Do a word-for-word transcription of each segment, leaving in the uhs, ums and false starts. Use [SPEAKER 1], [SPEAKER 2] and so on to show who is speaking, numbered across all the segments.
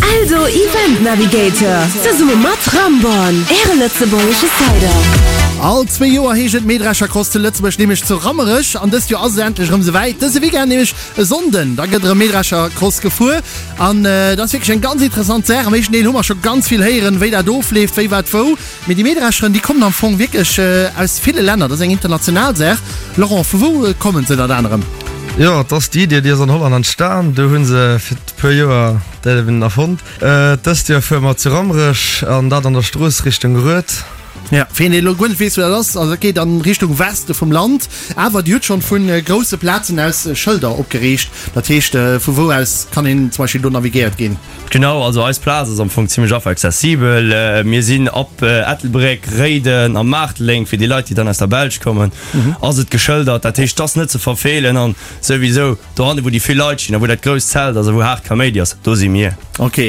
[SPEAKER 1] Eldo Event Navigator, zesumme mat Ramborn, Äre lëtzebuergesche Cider.
[SPEAKER 2] All zwee Joer heescht et Mähdreschercross zu Lëtzebuerg, nämlech zu Rammerech. An dëst Joer ass et endlech erëm souwäit. Dëse Weekend, nämlech e Sonnden, da gëtt erëm Mähdreschercross gefuer. An dat ass wierklech eng ganz interessant Saach. Am éischten Deel hu mer scho ganz vill héieren, wéi dat ofleeft, wéi wat wou. Mee déi Mähdrescheren, déi kommen am Fong wierklech aus ville Länner. Dat ass eng international Saach. Laurent, vu wou kommen se ënnert anerem?
[SPEAKER 3] Jo, et ass déi Idee, déi ass an Holland entstan. Do hu se fir e puer Joer dat eben erfonnt. Dëst Joer fuere mer zu Rammerech an dat an der Strooss Richtung Rued.
[SPEAKER 2] Ja, fir een deen elo guer net weess wou dat ass, also dat geet an Richtung Weste vum Land, awer dir hutt schonn vu grousse Plazen aus Schëlder opgeriicht. Dat heescht, vu wou aus kann een zum Beispill do navigéiert ginn?
[SPEAKER 4] Genau, also eis Plaz ass am Fong zimmlech einfach accessibel. Mir sinn ab Ettelbréck, Réiden a Maarteleng, fir déi Leit déi dann aus der Belsch kommen, ass et geschëldert. Dat heescht, et ass net ze verfeelen an souwisou dohanne wou déi vill Leit stinn a wou dat grousst Zelt ass a wou haart Kaméidi ass, do si mir.
[SPEAKER 2] Ok,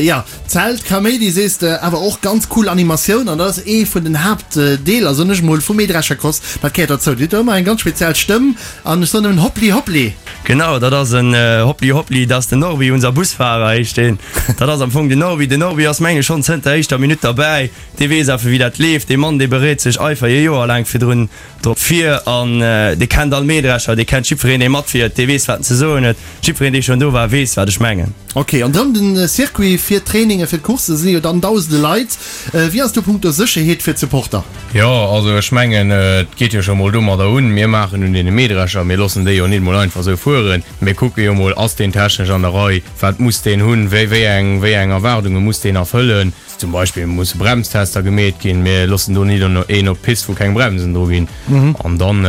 [SPEAKER 2] jo, Zelt, Kaméidi sees de, awer och ganz cool Animatioun an dat ass ee vun den Haaptdeeler, soen ech mol, vum Mähdreschercross. Dat gehéiert derzou. Dir hutt do ëmmer eng ganz speziell Stëmm an ech soen nëmmen Hoppli Hoppli.
[SPEAKER 4] Genau, dat ass en Hoppli Hoppli, dat ass den Norbi, unser Busfahrer heescht deen. Dat ass am Fong den Norbi. Den Norbi ass mengen ech schonn zënter der éischter Minutt derbäi. Dee weess awer wéi dat leeft. Dee Mann dee bereet sech eifer ee Joer laang virdrun drop vir an dee kennt all Mähdrescher, dee kennt jiddwereen dee matfiert, dee weess wat en ze soen huet. Jiddwereen dee schonn do war weess wat ech mengen.
[SPEAKER 2] Ok, an ronderëm den Circuit fir d'Trainingen, fir d'Courssen si jo dann dausende Leit. Wéi ass do punkto Sécherheet fir d'Supporter?
[SPEAKER 5] Jo, also ech mengen, et geet jo scho mol domadder un, mir maachen un deene Mähdrescher, mir loossen déi jo nit mol einfach esou fueren. Mir kucke jo mol, ass deen technesch an der Rei, wat muss deen hunn, wéi, wéi eng, wéi eng Erwaardunge muss deen erfëllen. Zum Beispill musse Bremstester gemeet ginn, mir loossen do nit een op d'Pist, wou keng Bremsen dru ginn. An dann,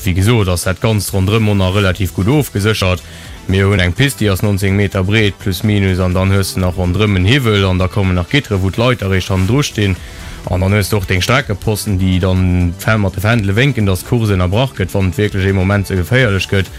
[SPEAKER 5] wéi gesot, ass dat Ganzt ronderëm och nach relativ gutt ofgeséchert. Mir hunn eng Pist, déi ass nonzéng Meter breet, plus minus, an dann hues de nach ronderëm en Hiwwel an da kommen nach Gitteren, wou d'Leit eréischt hannendru stinn. An dann hues de och deng Streckeposten, déi dann mat de Fändele wénken, dass d'Course ënnerbrach gëtt, wann et wierklech ee Moment ze geféierlech gëtt.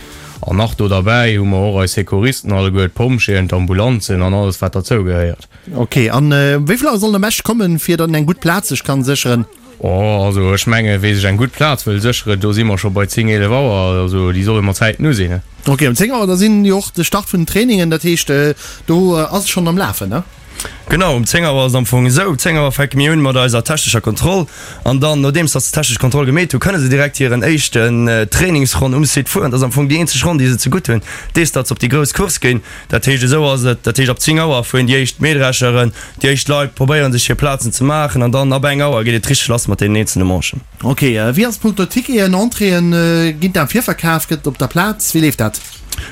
[SPEAKER 5] An nach do derbäi hu mer och eis Secouristen alleguer, d'Pompjeeën, d'Ambulanzen an alles, wat derzou gehéiert.
[SPEAKER 2] Ok, an wéi vill Auer sollen am beschte kommen, fir datt een eng gutt Plaz sech kann sécheren?
[SPEAKER 5] Oh, also ech mengen, wee sech eng gutt Plaz wëll sécheren, do si mer scho bei zéng, eelef Auer, also déi solle mat Zäiten u sinn.
[SPEAKER 2] Ok, um zéng Auer, da sinn jo och de Start vun den Trainingen, dat heescht, do ass et schonn am Lafen, ne?
[SPEAKER 4] Genau, um zéng Auer ass et am Fong esou, um zéng Auer fänke mir un mat eiser technescher Kontroll an dann, nodeems datt se d'technesch Kontroll gemeet hu, kënne se direkt hiren éischten Trainingsronn um Site fueren. Dat ass am Fong déi eenzeg Ronn, déi se zegutt hunn, dees datt se op déi grouss Course ginn. Dat heescht, esou ass et, dat heescht ab zéng Auer fueren déi éischt Mähdrescheren, Déi éischt Leit probéieren sech hir Plazen ze maachen an dann ab eng Auer geet et richteg lass mat deenen eenzelne Manchen.
[SPEAKER 2] Ok, wéi ass et punkto Ticketen, Entréeën, ginn d'am Virverkaf, gëtt et op der Plaz, wéi leeft dat?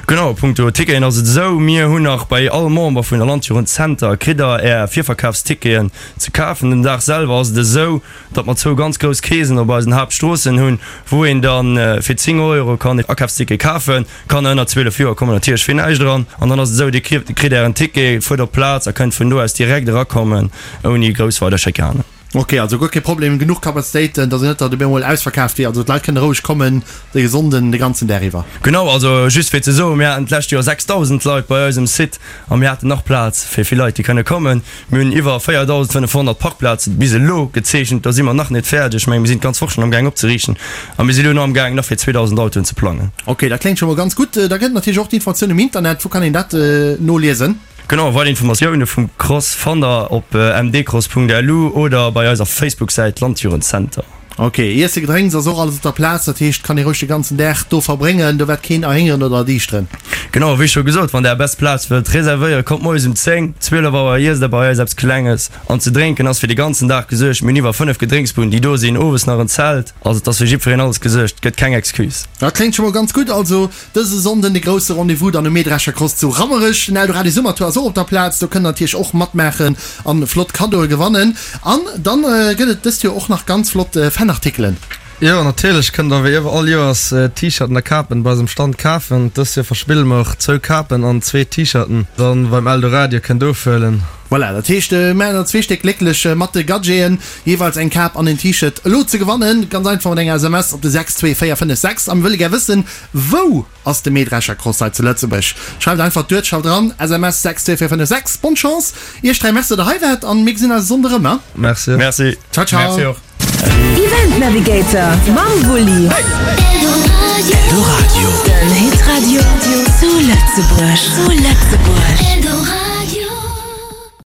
[SPEAKER 4] Genau, punkto Ticketen ass et esou, mir hunn nach bei all Member vun der Landjugend Zenter kritt der är Virverkafsticketen ze kafen. Den Dag selwer ass et esou, datt mer zwou ganz grouss Keesen op eisen Haaptstroossen hunn, wou een dann fir zéng Euro kann e Akafsticket kafen. Kanner ënner zwielef Joer kommen natierlech fir näischt eran. An dann ass et esou, Dir kritt Ären Ticket, fuert op d'Plaz a kënnt vun do aus direkt erakommen, ouni grouss weider Schikanen.
[SPEAKER 2] Ok, also guer kee Problem, genuch Kapazitéiten, dass et net datt op eemol ausverkaaft wier. Also d'Leit kënne roueg kommen de Sonnden de ganzen Dag iwwer.
[SPEAKER 4] Genau, also just fir ze soen, mir haten d'lescht Joer sechsdausend Leit bei eis um Site a mir haten nach Plaz fir vill Leit, déi kënne kommen. Mir hunn iwwer véierdausendfënnefhonnert Parkplaze bis elo gezeechent. Do si mer nach net fäerdeg. Ech mengen, mir sinn d'ganz Woch schonn amgaang opzeriichten a mir si elo nach amgaang, nach fir zweedausend Autoen ze plangen.
[SPEAKER 2] Ok, dat kléngt scho mol ganz gutt. Da gëtt et natierlech och d'Informatioun um Internet. Wou kann een dat noliesen?
[SPEAKER 4] Genau, weider Informatioune vum Cross fannt der op mdcross Punkt lu oder bei eiser Facebook-Säit Landjugendzenter.
[SPEAKER 2] Ok, Iesse, Gedrénks ass och alles op der Plaz, dat heescht kann ee roueg de ganzen Dag do verbréngen, do wäert keen erhéngeren oder erdiischteren.
[SPEAKER 4] Genau, wéi scho gesot, wann der är best Plaz wëllt reservéieren, kommt moies um zéng, zwielef Auer, iesst der bei eis eppes Klenges an ze drénken ass fir de ganzen Dag gesuergt. Mir hunn iwwer fënnef Gedrénksbuden déi do sinn, owes nach en Zelt, also et ass fir jiddwereen alles gesuergt, gëtt keng Excuse.
[SPEAKER 2] Dat kléngt scho mol ganz gutt, also Dëse Sonnden de grousse Rendez-vous dann um Mähdrescher Cross zu Rammerech. Den Eldoradio Summertour ass och op der Plaz, do kënnt der natierlech och matmaachen an flott Kaddoe gewannen. An dann gëtt et dëst Joer och nach ganz flott Fanartikelen.
[SPEAKER 3] Jo, natierlech kënnt der wéi iwwer all Joers T-Shirten a Kapen bei eisem Stand kafen. Dëst Joer verspille mer och zwou Kapen an zwee T-Shirten dann beim Eldoradio kënnt ofhuelen.
[SPEAKER 2] Voilà, dat heescht mir maachen der zwee Stéck glécklech mat de Gadgeten, jeeweils eng Kap an en T-Shirt elo ze gewannen. Ganz einfach mat enger S M S op de sechs zwee véier fënnef sechs. A mir wëlle gär wëssen, wou ass de Mähdrescher Cross hei zu Lëtzebuerg? Schreift einfach d'Uertschaft eran, S M S sechs zwee véier fënnef sechs. Bonne Chance iech dräi, merci datt der hei waart an mir gesinn eis e Sonnde rëm.
[SPEAKER 3] Merci.
[SPEAKER 4] Merci.
[SPEAKER 2] Ciao ciao.
[SPEAKER 5] Merci och.
[SPEAKER 1] Event Navigator mam Wulli. Eldoradio. Den Hitradio zu Lëtzebuerg. Zu Lëtzebuerg.